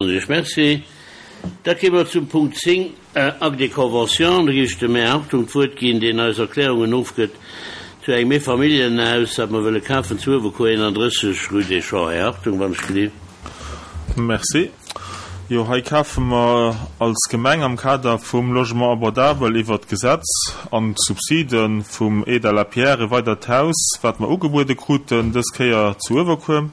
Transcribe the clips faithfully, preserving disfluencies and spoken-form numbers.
Merci. Da kéime mer zum Punkt zéng, Acte de convention. Do géif ech dem Här Hartung d'Wuert ginn, deen eis Erklärungen ofgëtt zu engem Eefamilljenhaus, dat mer wëlle kafen zu Uewerkuer, eenandrësseg, rue des Champs. Här Hartung, wann ech gelift. Merci. Jo, hei kafe mer als Gemeng am Kader vum Logement abordable iwwert d'Gesetz an d'Subside vum Aide à la pierre e weidert Haus, wat mer ugebuede kruten, dës Kéier zu Uewerkuer.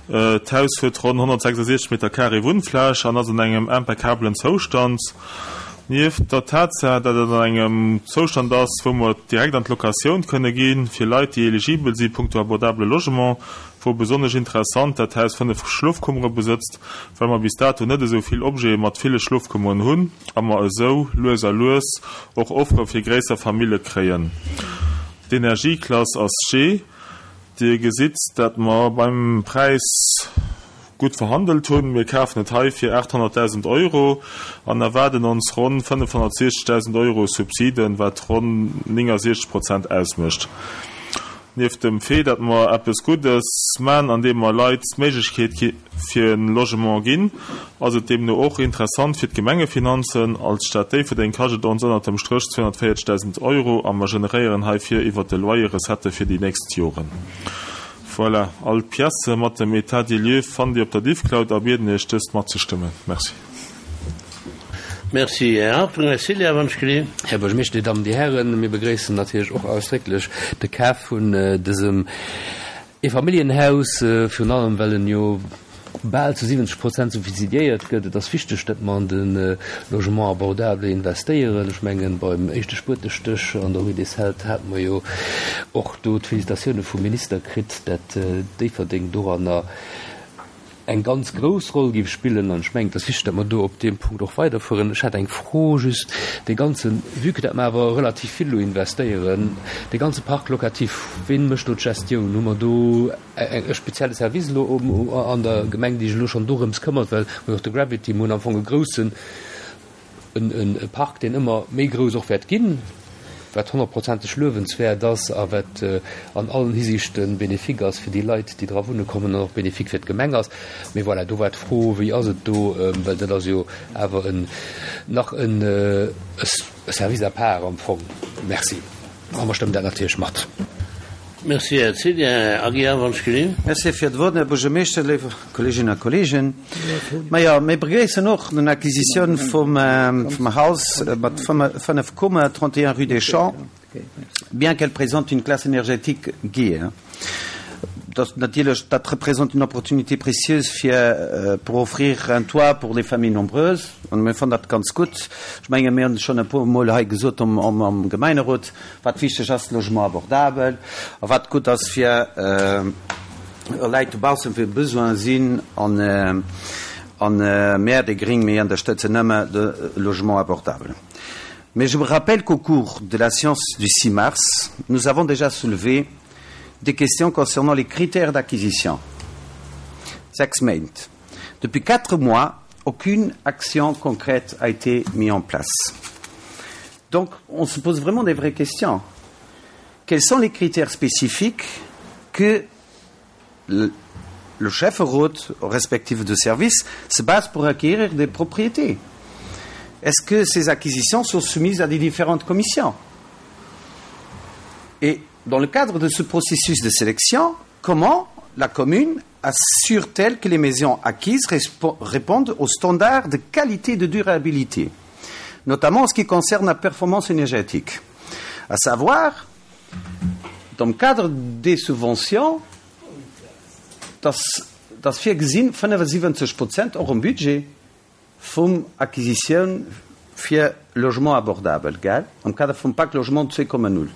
D'Haus huet ronn honnertsechsasiechzeg Meter carré Wunnfläch an ass an engem impeccablen Zoustand. Nieft der Tatsaach, datt et an engem Zoustand ass, wou mer direkt an d'Locatioun kënne gi fir Leit, déi eligibel si punkto abordable Logement, wor besonnesch interessant, dat d'Haus fënnef Schlofkummere besëtzt, well mer bis dato net esou vill Objete mat ville Schlofkummeren hunn a mer esou lues a lues och Offere fir gréisser Famille kréien. D'Energieklass ass G. Dir gesitt, dat mer beim Präis gutt verhandelt hunn. Mir kafen et hei fir aathonnertdausend Euro an erwaarden ons ronn fënnefhonnertsiechzegdausend Euro Subsiden, wat ronn néngasiechzeg Prozent ausmécht. Nieft dem Fait, datt mer eppes Guddes man, andeem mer Leit d'Méiglechkeet fir e Logement ginn, ass et deemno och interessant fir d'Gemengefinanzen. Als Stad Déifferdeng kascht et ons ënnert dem Stréch zweehonnertvéierzegdausend Euro a mer generéieren heifir iwwert de Loyer Recettë fir déi nächst Joren. Voilà, all d'Piècë mat dem État des lieux fannt Dir op der Diffcloud a bieden Iech, dëst matzestëmmen. Merci. Merci, Här Hartung. Här Cilla, wann ech gelift. Här Buergermeeschter, Dir Dammen, Dir Hären, mir begréissen natierlech och ausdrécklech de Kaf vun dësem Eefamilljenhaus, virun allem well en jo bal zu siwwenzeg Prozent subsidiéiert gëtt. Et ass wichteg, datt mer an de Logement abordable investéieren. Ech mengen, beim éischte Spuetestéch an der Rue des Celtes hate mer jo och do d'Félicitatioune vum Minister kritt, dat Déifferdeng doranner eng ganz grouss Roll géif spillen. An ech mengen, et ass wichteg, datt mer do op deem Punkt och weiderfueren. Ech hat eng Fro just, dee ganzen, vue que datt mer awer relativ vill elo investéieren, dee ganze Parc locatif, ween mécht do d'Gestioun? Hu mer do e spezielle Service elo an der Gemeng, déi sech elo schonn dorëms këmmert? Well mer jo och de Gravity, mer hunn am Fong e groussen e Park, deen ëmmer méi grouss och wäert ginn, wat honnertprozenteg luewenswäert ass a wat an allen Hisiichte bénéfique ass fir déi Leit, déi dra wunne kommen an och bénéfique fir d'Gemeng ass. Mee voilà, do war d'Fro, wéi ass et do, well dat ass jo awer en nach en Service à part am Fong. Merci. A mer stëmmen dat natierlech mat. Merci, Här Cillien. Här Aguiar, wann ech gelinn. Merci fir d'Wuert, Här Buergermeeschter, léif Kolleeginnen a Kolleegen. Majo, mir begréissen och den Acquisitioun vum Haus mat fënnef Kummer, trente et un rue des Champs, bien qu'elle présente une classe énergétique G. Dat natierlech, dat représente une opportunité précieuse fir pour offrir un toit pour des familles nombreuses. An mir fannen dat ganz gutt. Ech menge mir hunn schonn e puer Mol hei gesot am Gemeinerot, wat wichteg ass, Logement abordabel, a wat gutt ass fir Leit dobaussen, fir Besoin sinn. An an mär, déi Gring, mir ënnerstëtzen nëmme de Logement abordable. Mais je vous rappelle qu'au cours de la séance du six mars, nous avons déjà soulevé des questions concernant les critères d'acquisition. Sechs Méint. Depuis quatre mois, aucune action concrète a été mise en place. Donc, on se pose vraiment des vraies questions. Quels sont les critères spécifiques que le, le chef route respectif de service se base pour acquérir des propriétés? Est-ce que ces acquisitions sont soumises à des différentes commissions? Et dans le cadre de ce processus de sélection, comment la commune assure-t-elle que les maisons acquises répondent aux standards de qualité et de durabilité, notamment en ce qui concerne la performance énergétique? À savoir, dans le cadre des subventions, dass, dass virgesinn fënnefasiwwenzeg Prozent och am Budget vum Acquisitioun fir Logement abordable, gell, am Kader vum Pacte Logement zwee Komma null.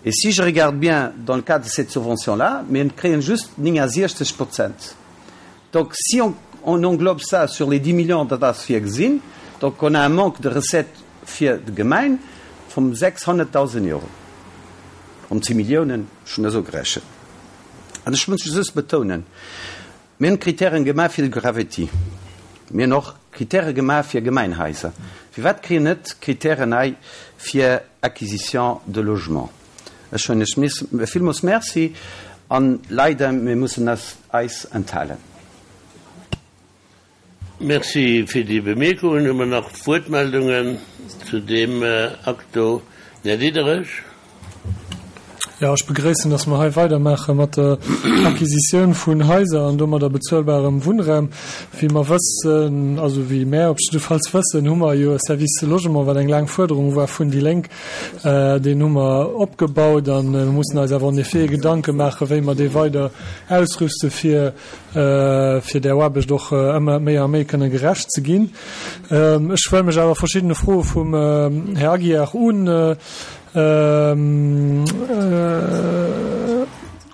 Et si je regarde bien dans le cadre de cette subvention-là, mir kréien just néngasiechzeg Prozent. Donc si on, on englobe ça sur les dix millions, dat ass virgesinn, donc on a un manque de recettes fir d'Gemeng vum sechshonnertdausend Euro. Ronn zéng Milliounen, ech hunn esou gerechent. An ech muss just betounen, mir hunn Kritären gemaach fir de Gravity, mir hunn och Kritäre gemaach fir Gemeinhaiser. Firwat kréien net Kritären hei fir Acquisition de logement? Ech soen Iech villmools Merci an leider, mir mussen eis enthalen. Merci fir déi Bemierkungen. Hu mer nach Wuertmeldungen zu deem Akt do? Den Här Diderich. Jo, ech begréissen, dass mer hei weidermaache mat der Acquisitioun vun Haiser an domadder bezuelbarem Wunnraum. Wéi mer wëssen, also wéi mär op jiddefalls wëssen, hu mer jo e Service Logement, wat eng laang Fuerderung war vun déi Lénk. Deen hu mer opgebaut a mir mussen eis awer en effet Gedanke maachen, wéi mer dee weider ausrüste fir, fir där Aarbecht och ëmmer méi a méi kënne gerecht ze ginn. Ech wëll mech awer verschiddene Froe vum Här Aguiar un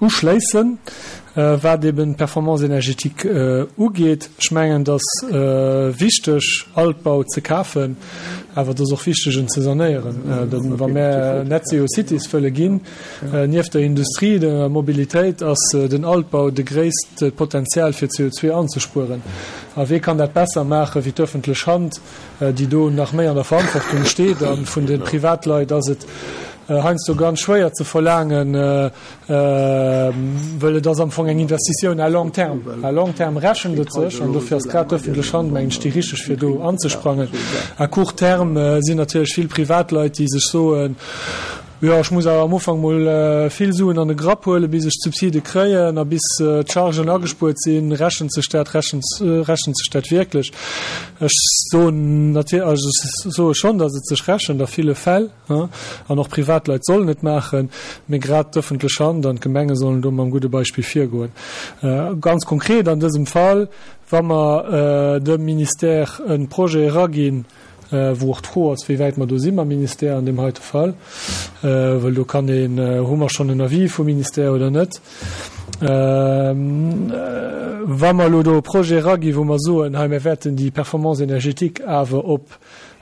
uschléissen, wat eben d'Performance énergétique ugeet. Ech mengen, et ass wichteg, Altbau ze kafen, awer et ass och wichteg, en ze sanéieren. Wa mär Net Zero Cities wëlle ginn, nieft der Industrie, der Mobilitéit, ass den Altbau de gréisst Potenzial, fir C O zwei anzespueren. A wee kann dat besser maache wéi d'öffentlech Hand, déi do nach méi an der Verantwortung steet? A vun de Privatleit ass et heiansdo ganz schwéier ze verlaangen, wëll et ass am Fong eng Investitioun à long terme. À long terme rechent et sech, an dofir ass grad d'öffentlech Hand, mengen ech, déi richteg, fir do anzesprangen. À court terme sinn natierlech vill Privatleit, déi sech soen, jo, ech muss awer am Ufank mol vill Suen an de Grapp huelen, bis ech d'Subside kréien a bis d'Chargen agespuert sinn. Rechent sech dat? Rechent, rechent sech dat wierklech? Ech soen natierlech, also ech soe schonn, datt et sech rechent a ville Fäll, hein, an och Privatleit sollen et maachen, mee grad d'ëffentlech Hand an d'Gemenge sollen do mam gudde Beispill virgoen. Ganz konkret an dësem Fall, wa mer dem Ministère e Projet eraginn, wou och d'Fro ass, wéi wäit mer do si mam Ministère an deem heite Fall, well do kann een, hu mer schonn en Avis vum Ministère oder net. Wa mer elo do e Projet eraginn, wou mer soen, hei, mir wäerten déi Performance énergétique awer op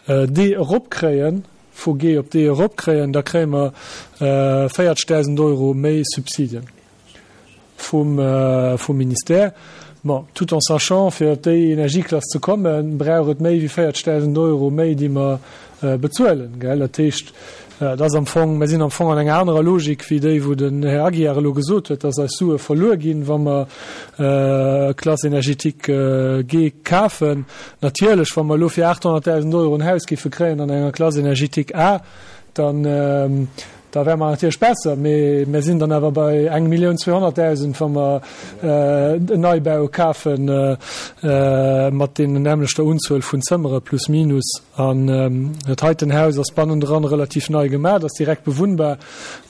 D eropkréien, vu G op D eropkréien, da kréie mer véierzegdausend Euro méi Subsidien vum, vum Ministère. Bon, tout en sachant, fir op déi Energieklass ze kommen, brauch et méi wéi véierzegdausend Euro méi, déi mer bezuelen, gell? Dat heescht, et ass am Fong, mir sinn am Fong an enger anerer Logik wéi déi, wou den Här Aguiar elo gesot huet, dass eis Sue verluer ginn, wa mer Classe énergétique G kafen. Natierlech, wa mer elo fir aathonnertdausend Euro en Haus géife kréien an enger Classe énergétique A, dann, da wäre mer natierlech besser, mee mir sinn dann awer bei eng Millioun zweehonnertdausend, wa mer en Neibau kafe mat deenen nämmlechter Unzuel vun Zëmmere plus minus. An dat heiten Haus ass bannendran relativ nei gemaach, ass direkt bewunnbar,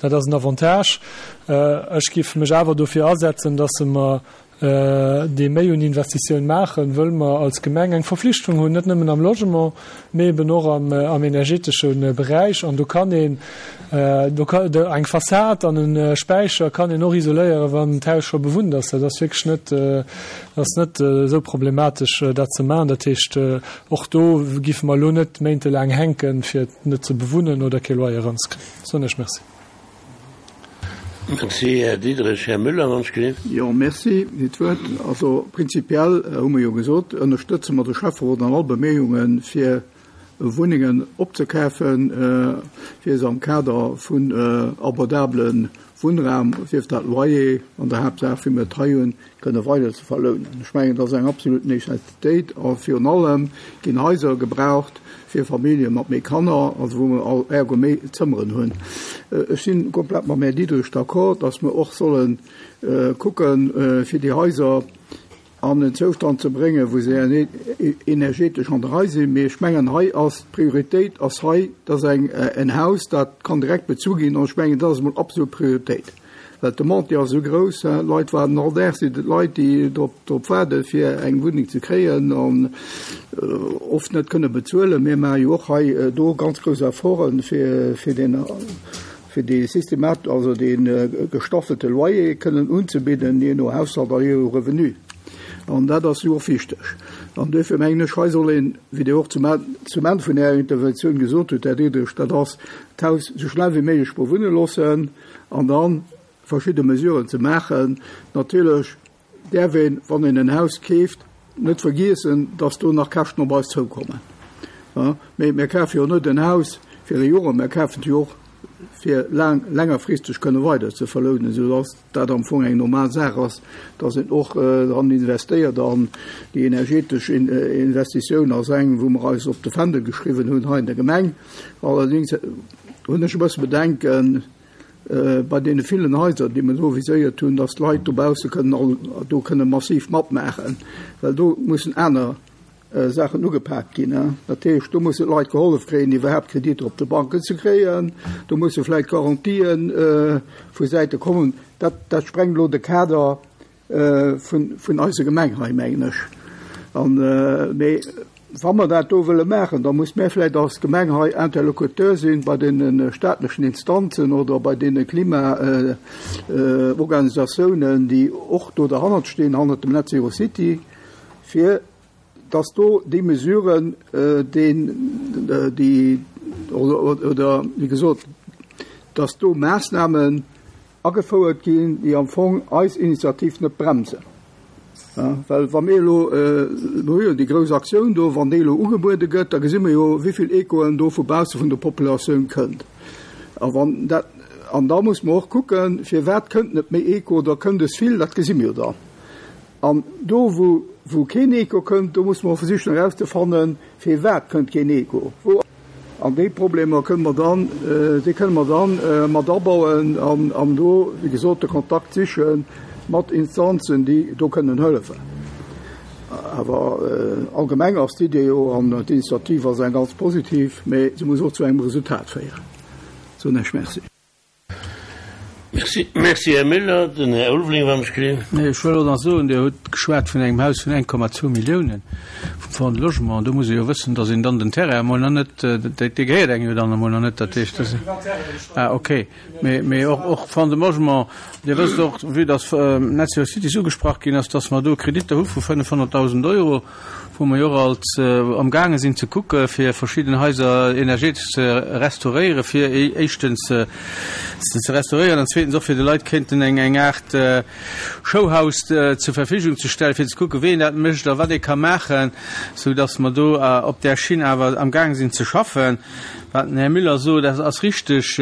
dat ass en Avantage. Ech géif mech awer dofir asetzen, dass mer dee méi un Investitioun maachen, wëll mer als Gemeng eng Verflichtung hunn, net nëmmen am Logement, mee eben och am, am energetesche Beräich. An do kann een, do ka, eng Fassad an e Späicher kann een och isoléieren, wann d'Haus scho bewunnt ass. Dat ass wierklech net, ass net esou problematesch, dat ze maachen. Dat heescht, och do géife mer elo net méintelaang hänken, fir et net ze bewunnen oder kee Loyer eranzekréien. Soen ech Merci. Merci, Här Diderich. Här Müller, wann ech gelift. Jo, merci fir d'Wuert. Also prinzipiell hu mer jo gesot, ënnerstëtze mer de Schäfferot an all Beméiunge fir Wunnengen opzekafen, fir se am Kader vun abordabele Wunnraum, sief dat Loyer an der Haaptsaach, wéi mir et hei hunn, kënne weider ze verlounen. Ech mengen, dat ass eng absolut Necessitéit a virun allem ginn Haiser gebraucht fir Famillje mat méi Kanner, also wou mer all ergo méi Zëmmeren hunn. Ech si komplett mam Här Diderich d'accord, dass mer och solle kucken, fir déi Haiser an en Zoustand ze bréngen, wou se energetesch an der Rei sinn. Mee ech mengen, hei ass d'Prioritéit ass hei, dass eng en Haus, dat kann direkt bezu ginn. An ech mengen, dat ass emol absolut Prioritéit. Well d'Demande, déi ass esou grouss, hein, d'Leit waarden all Dag, sinn et Leit, déi drop, drop waarden, fir eng Wunneng ze kréien an oft net kënne bezuelen. Mir maache jo och hei do ganz grouss Efforten, fir, fir den, fir dee Systemat, also dee gestaffelte Loyer kënnen unzebidden, jee no Haushalt a jee no Revenu. An dat ass jo och wichteg. An duerfir mengen ech, hei soll een, wéi Dir och zum zum Enn vun Ärer Interventioun gesot hutt, Här Diderich, dat ass d'Haus esou schnell wéi méiglech bewunne loossen an dann verschidde Mesuren ze maachen. Natierlech däerf een, wann een en Haus keeft, net vergiessen, dass do nach Käschten op eis zoukommen. Mee mir kafe jo net en Haus fir e Joer, mir kafen jo och fir laang, längerfristeg kënne weider ze verlounen, soudass dat am Fong eng normal Saach ass, dass een och dran investéiert. An déi energetesch Investitioun ass eng, wou mer eis op de Fändel geschriwwen hunn hei in der Gemeng. Allerdings hunn ech e bësse Bedenken bei deene villen Haiser, déi mer do viséiert hunn, dass d'Leit dobausse kënnen all do kënne massiv matmaachen, well do mussen aner Saachen ugepaakt ginn. Dat heescht, do mussen d'Leit gehollef kréien, iwwerhaapt Kreditter op de Banken ze kréien. Do musse vläicht Garantien vu Säite kommen. Dat, dat sprengt elo de Kader vun, vun eiser Gemeng hei, mengen ech. An, mee wa mer dat do wëlle maachen, da muss mir vläicht als Gemeng hei Interlocuteur sinn bei deene staatlechen Instanzen oder bei deene Klimaorganisatiounen, déi och do derhannert stinn, hannert dem Net Zero City, fir dass do déi Mesuren, deen, déi, oder wéi gesot, dass do Maassnamen agefouert ginn, déi am Fong eis Initiativ net bremsen. Well wa mir elo, mir hu jo déi grouss Aktioun do, wann déi elo ugebuede gëtt, da gesi mir jo, wéi vill Echoen do vu bausse vun der Populatioun kënnt. A wann dat, an da muss mer och kucken, firwat kënnt net méi Echo oder kënnt es vill, dat gesi mir jo dann. An do, wou, wou keen Echo kënnt, do muss mer versichen erauszefannen, firwat kënnt keen Echo. Wou, an déi Problemer kënne mer dann, déi kënne mer dann mat abauen an, an do, wéi gesot, de Kontakt siche mat Instanzen, déi do kënnen hëllefen. Awer allgemeng ass d'Idee jo, an d'Initiativ ass eng ganz positiv, mä se muss och zu engem Resultat féieren. Soen ech Merci. Merci, merci Här Müller. Den Här Ulveling, wann ech gesinn. Nee, ech wëll och nach soen, Dir hutt geschwat vun engem Haus vun eng Komma zwou Milliounen vum Fonds de Logement. Do muss ee jo wëssen, datt een dann den Terrain emol nach net, dee gehéiert engem jo dann emol nach net. Dat heescht, dat ah, okay. Mee, mee och, och Fonds de Logement, Dir wësst och, vue datt Net Zero Cities ugesprach ginn ass, datt mer do Kreditter hu vu fënnefhonnertdausend Euro, wou mer jo och als amgaange sinn ze kucke fir verschidden Haiser energetesch ze restauréieren, fir éischtens se ze restauréieren an zweetens och fir de Leit kéinten eng eng Aart Showhouse zur Verfügung ze stellen, fir ze kucke wéi een dat mécht a wat ee ka maachen, sou datt mer do op där Schinn awer amgaange sinn ze schaffen. Wat den Här Müller sot, dat ass richteg.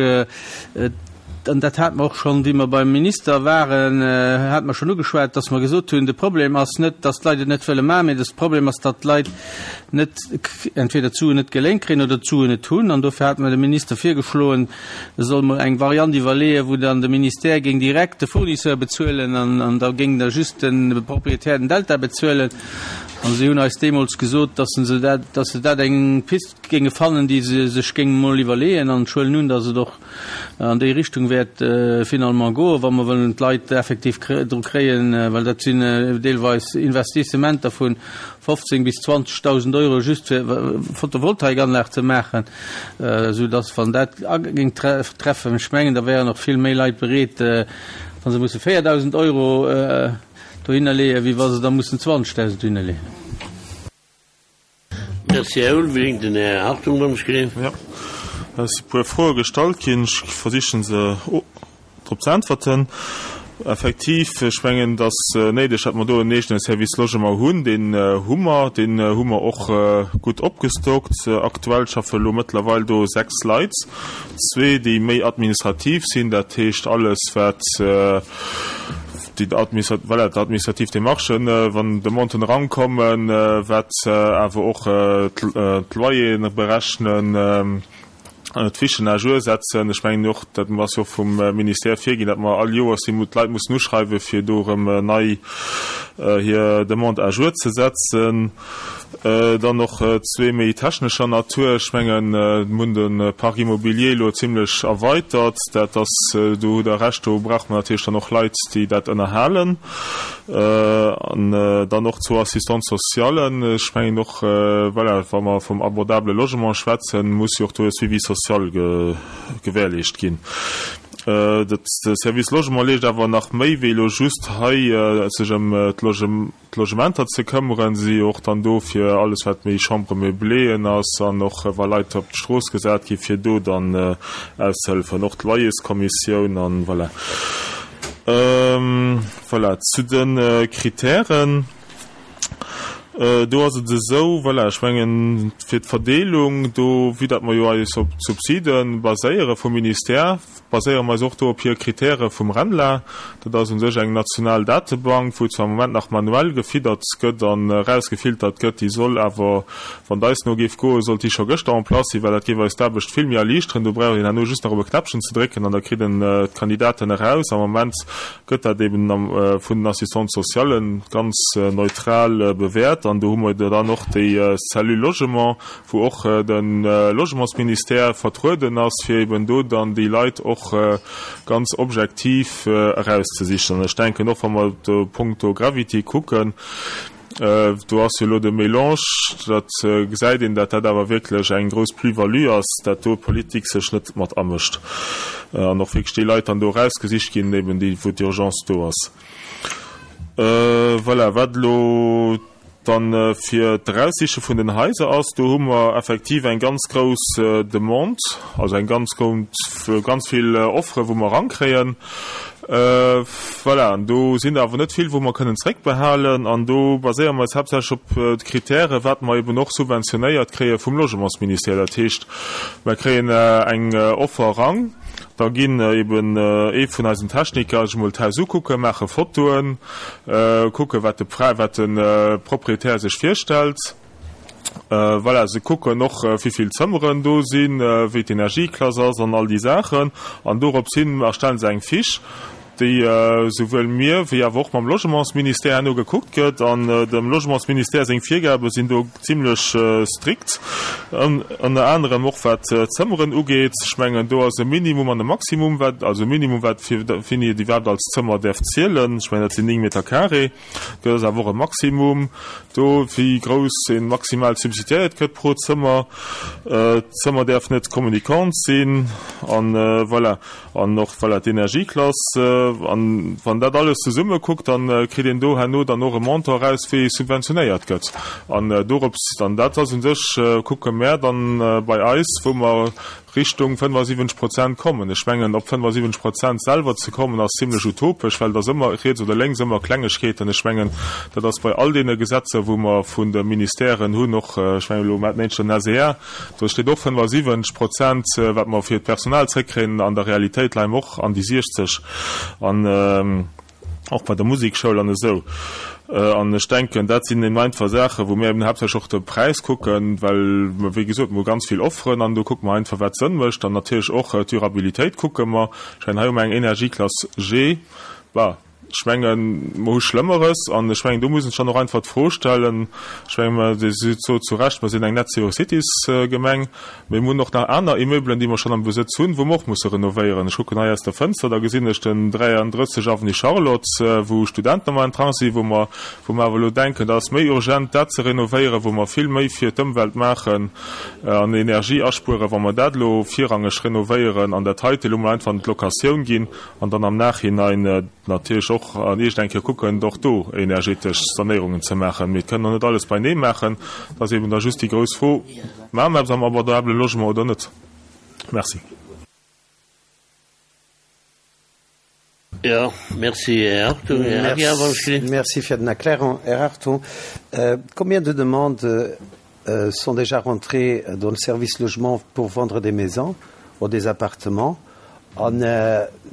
An dat hate mer och schonn, wéi mer beim Minister waren, hate mer schonn ugeschwat, dass mer gesot hunn, de Problem ass net, dass d'Leit et net wëlle maachen, mee de Problem ass, datt d'Leit net entweder d'Suen net geléint kréien oder d'Suen net hunn. An dofir hate mer dem Minister virgeschloen, e soll mol eng Variant iwwerleeën, wou dann de Ministère géing direkt de Fournisseur bezuelen an, an da géing da just de Proprietär den Delta bezuelen. An si hunn eis deemools gesot, dass se dat, dass se dat eng Pist géinge fannen, déi se sech géinge mol iwwerleeën. An ech huelen un, dass et och an déi Richtung wäert finalement goen, wa mer wëllen d'Leit effektiv dru kréien, well dat sinn deelweis Investissementer vu fofzéng bis zwanzegdausend Euro just fir Photovoltaikanlag ze maachen, esou dass wann dat géing treffen, ech mengen, da wären och vill méi Leit bereet, wa se musse véierdausend Euro dohinner leeën, wéi wa se da mussen zwanzegdausend dohinner leeën. Merci, Här Ulveling. Den Här Hartung, wann ech gesinn. Jo, et si puer Froe gestallt ginn. Ech versichen se drop ze äntwerten. Effektiv, ech mengen, et ass néideg, datt mer do en eegene Service Logement hunn. Deen hu mer, deen hu mer och gutt opgestockt. Aktuell schaffe elo mëttlerweil do sechs Leit, zwee, déi méi administrativ sinn, dat heescht alles, wat déi administrat-, voilà, d'administrativ Démarchen, wann Demanden erankommen, wat awer och d'Loyeren berechnen, d'Fichen à jour setzen. Ech mengen och, dat ass jo och vum Ministère virginn, datt mer all Joers déi d'Leit mussen uschreiwen, fir do erëm nei hir Demande à jour ze setzen. Dann och zwee méi technescher Natur. Ech mengen, mir hunn de Parc immobilier elo zimlech erweitert. Dat ass, do hutt Der Recht, do brauche mer natierlech dann och Leit, déi dat ënnerhalen. An dann och zwou Assistants socialen. Ech mengen och, voilà, wa mer vum abordable Logement schwätzen, muss jo och do e Suivi social gewährleescht ginn. De Service Logement leescht awer nach méi wéi elo just hei sech ëm d'Logementer ze këmmeren. Si si och dann do fir alles wat méi Chambre meubléeën ass an och wa Leit op d'Strooss gesat gi fir do dann auszehëllefen. Och d'Loyerskommissioun an voilà. Voilà, zu de Kritären. Do ass et esou, voilà, ech mengen, fir d'Verdeelung do, vue datt mer jo eis op d'Subside baséiere vum Ministère, baséiere mer eis och do op hir Kritäre vum RENLA. Dat ass u sech eng national Datebank, wou zwar am Moment nach manuell gefiddert gëtt an erausgefiltert gëtt, déi soll awer, wann et eis no géif goen, sollt déi scho gëschter en place sinn, well dat géif eis d'Aarbecht vill méi erliichteren. Do brauch een herno just nach op e Knäppchen ze drécken an da kritt een d'Kandidaten eraus. Am Moment gëtt dat eben vun den Assistantes sociales ganz neutral bewäert. An do hu mer dann och déi Cellule Logement, wou och de Logementsministère vertrueden ass, fir eben do dann déi Leit och ganz objektiv erauszesichen. An ech denken och, wa mer do punkto Gravity kucken, do ass jo elo de Mélange, dat gesäit een, datt dat awer wierklech eng grouss Plus-value ass, datt do d'Politik sech net mat amëscht an och wierklech déi Leit dann do erausgesicht ginn, eben déi, wou d'Urgence do ass. Voilà, wat elo dann fir d'Eraussiche vun den Haiser ass, do hu mer effektiv eng ganz grouss Demande, also eng ganz ganz vill Offere wou mer erankréien. Voilà, an do sinn der awer net vill, wou mer kënnen zréckbehalen. An do baséiere mer eis haaptsächlech op d'Kritäre wat mer eben och subventionéiert kréie vum Logementsministère. Dat heescht, mer kréien eng Offer eran, da ginn eben ee vun eisen Techniker sech emol d'Haus ukucken, maache Fotoen, kucke wat de wat de Proprietär sech virstellt. Voilà, se kucken och, wéi vill Zëmmeren do sinn, wéi d'Energieklass ass an all déi Saachen. An dorops hin erstellen se eng Fiche, déi souwuel mir wéi awer och mam Logementsministère herno gekuckt gëtt. An dem Logementsministère seng Virgabe sinn do zimlech strikt, ënner anerem och wat d'Zëmmeren ugeet. Ech mengen, do ass e Minimum an e Maximum, wat, also e Minimum, wat fir wéini et iwwerhaapt als Zëmmer däerf zielen. Ech mengen, dat sinn néng Meter carré. Do ass awer och e Maximum do, wéi grouss ee maximal subsidiéiert gëtt pro Zëmmer. D'Zëmmer däerf net communicant sinn an voilà. An och voilà d'Energieklass. An wann dat alles zesumme kuckt, dann kritt een do herno dann och e Montant eraus, wéi subventionéiert gëtt. An dorops dann, dat ass u sech, kucke mär dann bei eis, wou mer Richtung fënnefasiwwenzeg Prozent kommen. Ech mengen, op fënnefasiwwenzeg Prozent selwer ze kommen, ass zimlech utopesch, well et ass ëmmer riets oder lénks ëmmer Klengegkeeten. Ech mengen, dat ass bei all deene Gesetzer, wou mer vun de Ministèren hunn, och, ech mengen elo mat den S E R, do steet och fënnefasiwwenzeg Prozent, wat mer fir d'Personal zréckkréien. An der Realitéit leie mer och an déi siechzeg an och bei der Musekschoul an esou. An ech denken, dat sinn eben einfach Saachen, wou mir eben haaptsächlech och de Präis kucken, well mer, wéi gesot, mer hu ganz vill Offeren an do kucke mer einfach, wat Sënn mécht. An natierlech och d'Durabilitéit kucke mer. Ech mengen, hei hu mer eng Energieklass G. Bah, ech mengen, mer hu Schlëmmeres. An ech mengen, do muss een sech dann och einfach d'Fro stellen, ech mengen, mer, Dir sot zu Recht, mer sinn eng Net-Zero-Cities-Gemeng, mee mer hunn och nach aner Immeublen, déi mer schonn am Besëtz hunn, wou mer och musse renovéieren. Ech kucken hei aus der Fënster, da gesinn ech den dräiandrësseg Avenue Charlotte, wou Studenten am Entrant sinn, wou mer, wou mer awer elo denken, dat ass méi urgent, dat ze renovéieren, wou mer vill méi fir d'Ëmwelt maachen an Energie aspueren, wa mer dat elo virrangeg renovéieren an dat heite elo mol einfach an d'Locatioun ginn an dann am Nachhinein natierlech och an iergend eng Kéier kucken, och do energetesch Sanéierungen ze maachen. Mee et kënnen och net alles beinee maachen. Dat ass eben da just déi grouss Fro, Maache mer eppes am abordabele Logement oder net? Merci. Jo, merci, Här Hartung. Här Aguiar, wann ech gelift. Merci fir den Erklärung, Här Hartung. Combien de demandes sont déjà rentrées dans le service logement pour vendre des maisons ou des appartements? An,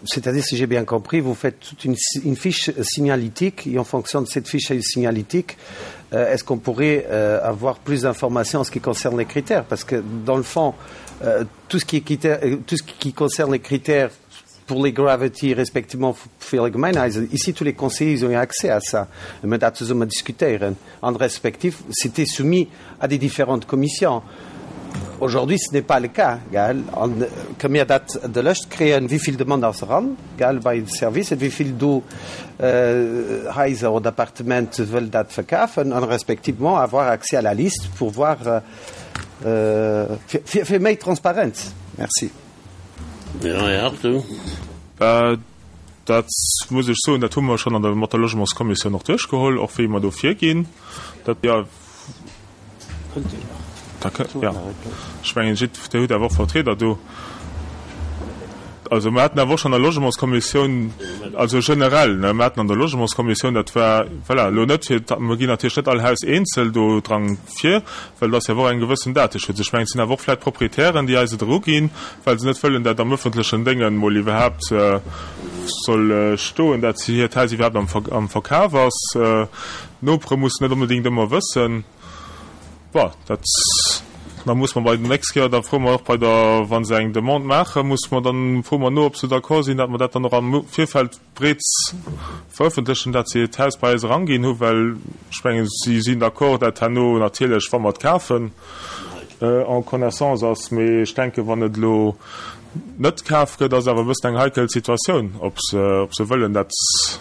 c'est-à-dire, si j'ai bien compris, vous faites toute une, une fiche signalétique et en fonction de cette fiche signalétique, euh, est-ce qu'on pourrait euh, avoir plus d'informations en ce qui concerne les critères? Parce que, dans le fond, euh, tout ce qui est critère, tout ce qui concerne les critères pour les gravity, respectivement fir les Gemeinhäuser, ici, tous les conseillers, ils ont eu accès à ça. Mir dat zesumme diskutéieren. An respektiv, c'était soumis à des différentes commissions. Aujourd'hui, ce n'est pas le cas, gell? An kënne mir dat de Lëscht kréien, wéi vill Demande ass eran, gell, bei de Servicer, wéi vill do Haiser oder Appartementen wëll dat verkafen an respectivement avoir accès à la liste pour voir, fir, fir méi Transparenz. Merci. Jo, Här Hartung. Dat muss ech soen, dat hu mer schonn an der, mat der Logementskommissioun och duerchgeholl, och wéi mer do virginn. Dat, jo. Da kë, jo. Ech mengen, jidd, Dir hutt awer och Vertrieder do. Also mir haten awer och schonn an der Logementskommissioun, also generell, ne, mir haten an der Logementskommissioun, dat war, voilà, elo net fir, mir ginn natierlech net all Haus eenzel do dran vir, well et ass jo awer och eng gewëssen Dateschutz. Ech mengen, et sinn awer och vläicht Proprietären, déi eis et eruginn, well se net wëllen, dat am öffentlechen Déngen emol iwwerhaapt soll stoen, dat hiert Haus iwwerhaapt am am Verkaf ass. D'Nopere mussen net onbedéngt ëmmer wëssen. Bon, dat, da muss mer bei der nächst Kéier, da froe mer och bei der, wa se eng Demande maachen, muss mer dann, froe mer no, ob se d'accord sinn, datt mer dat dann och am Virfeld breets verëffentlechen, datt se hiert Haus bei eis eranginn hu, well ech mengen, si sinn d'accord, dat herno natierlech, wa mer et kafen, en connaissance ass. Mee ech denken, wann et elo net kaf gëtt, ass awer e bëssen eng heikel Situatioun, ob se, ob se wëllen, datt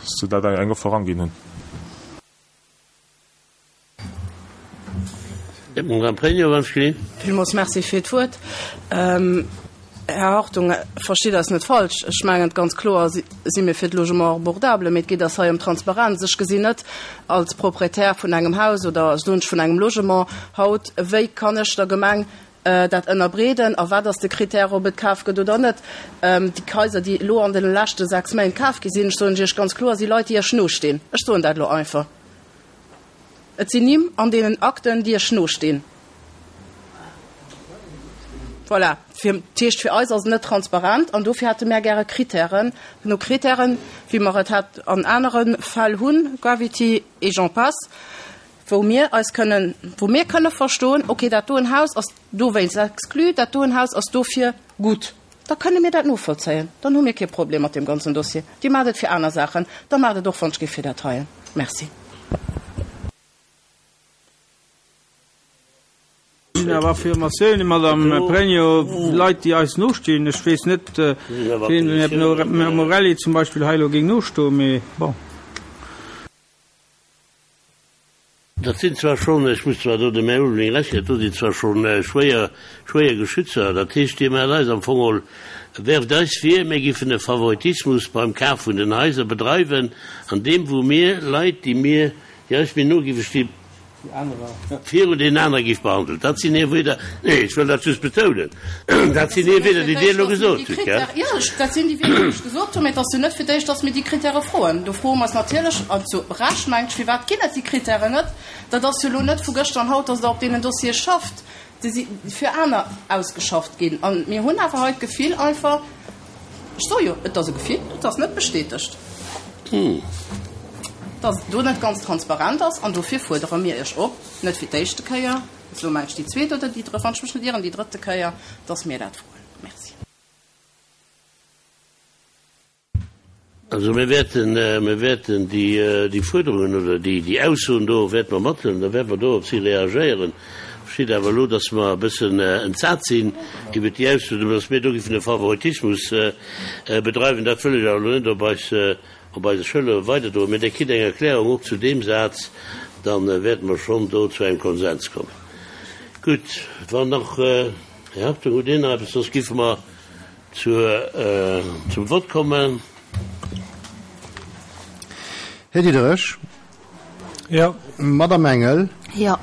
se dat eng Offer eranginn hunn. Madame Pregno, wann ech ginn. Villmools Merci fir d'Wuert. Här Hartung, verstitt eis net falsch, ech mengen, ganz kloer si mir fir de Logement abordable, mee et geet eis hei ëm Transparenz. Ech gesinn net als Proprietär vun engem Haus oder, soen ech, vun engem Logement haut, wéi kann ech der Gemeng dat ënnerbreeden a wat ass de Critère, ob et kaf gëtt oder net. Déi Haiser, déi elo an deene leschte sechs Méint kaf gi sinn, ech soen Iech ganz kloer, si Leit, déi Iech nostinn. Ech soen dat elo einfach. Et sinn Nimm an deenen Akten, déi Iech nostinn. Voilà. Fir, dat heescht, fir eis ass et net transparent an dofir hätte mär gäre Kritären, no Kritären, wéi mer et hat an anere Fäll hunn, Gravity et j'en passe, wou mir eis kënnen, wou mir kënne verstoen, okay, dat doen Haus ass dowéinst exclu, dat doen Haus ass dofir gutt. Da kënne mir dat novollzéien. Dann hu mir kee Problem mat deem ganzen Dossier. Dir maacht et fir aner Saachen, da maacht et och, wann ech géif, fir dat heien. Merci. Sinn awer Affirmatiounen, Madame Pregno, Leit, déi eis nostinn. Ech weess net, wien dem Här Morelli zum Beispill hei elo géing nostoen, mee bon. Dat sinn zwar schonn, ech muss zwar do dem Här Ulveling Recht ginn, dat do sinn zwar schonn schwéier, schwéier Geschützer. Dat heescht, Dir maacht eis am Fong geholl, werft eis vir, mir giffen e Favoritismus beim Kaf vun den Haiser bedreiwen, an deem wou mir Leit, déi mir, déi eis méi no giffe stinn, virun deenen anere giff behandelt. Dat sinn hir Wieder. Nee, ech wëll dat just betounen. Dat sinn hir Wieder, déi Dir elo gesot hutt, gell? Jo, dat sinn déi Wieder, déi ech gesot hunn. Mä et ass jo net fir d'éischt, dass mir déi Kritäre froen. Do froe mer eis natierlech, an zu Recht, mengt ech, Firwat ginn et déi Kritären net? Dat ass jo elo net vu gëschter an haut, dass Der op deenen Dossiere schafft. Déi si fir aner ausgeschafft ginn. A mir hunn awer hei d'Gefill einfach, ech soe jo, et ass e Gefill, et ass net bestätegt, dass et do net ganz transparent ass. An dofir fuerdere mir Iech op, net fir d'éischte Kéier, et ass elo, meng ech, déi zweet oder déi drëtt, wann ech mech net ieren, déi drëtte Kéier, dass mir dat froen. Merci. Also mir wäerten, mir wäerten déi, déi Fuerderungen oder déi, déi Aussoen do wäerte mer mathuelen, da wäerte mer do op si reagéieren. Verstitt awer elo, datt mer e bëssen entsat sinn iwwert déi Aussoen, datt mir do géifen e Favoritismus bedreiwen, dat wëll ech awer elo net op eis, op eise Schëllere weiderdroen. Mä Dir kritt eng Erklärung och zu deem Saz, da wäerte mer schonn do zu engem Konsens kommen. Gutt, wann nach, Här Hartung, hutt Dir nach eppes, soss géife mer zur, zum Vott kommen. Här Diderich. Jo. Madame Engel. Jo.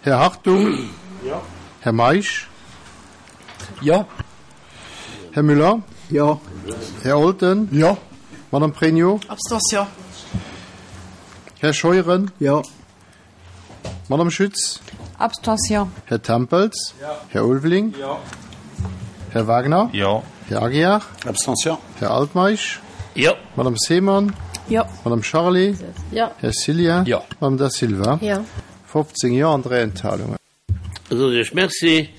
Här Hartung. Jo. Här Meisch. Jo. Här Müller. Jo. Här Olten. Jo. Madame Pregno. Abstention. Här Scheuren. Jo. Madame Schütz. Abstention. Här Tempels. Jo. Här Ulveling. Jo. Här Wagner. Jo. Här Aguiar. Abstention. Här Altmeisch. Jo. Madame Seemann. Jo. Madame Charlé. Jo. Här Cillien. Jo. Madame Da Silva. Jo. fofzéng Jo an dräi Enthalungen. Da soen ech Iech Merci.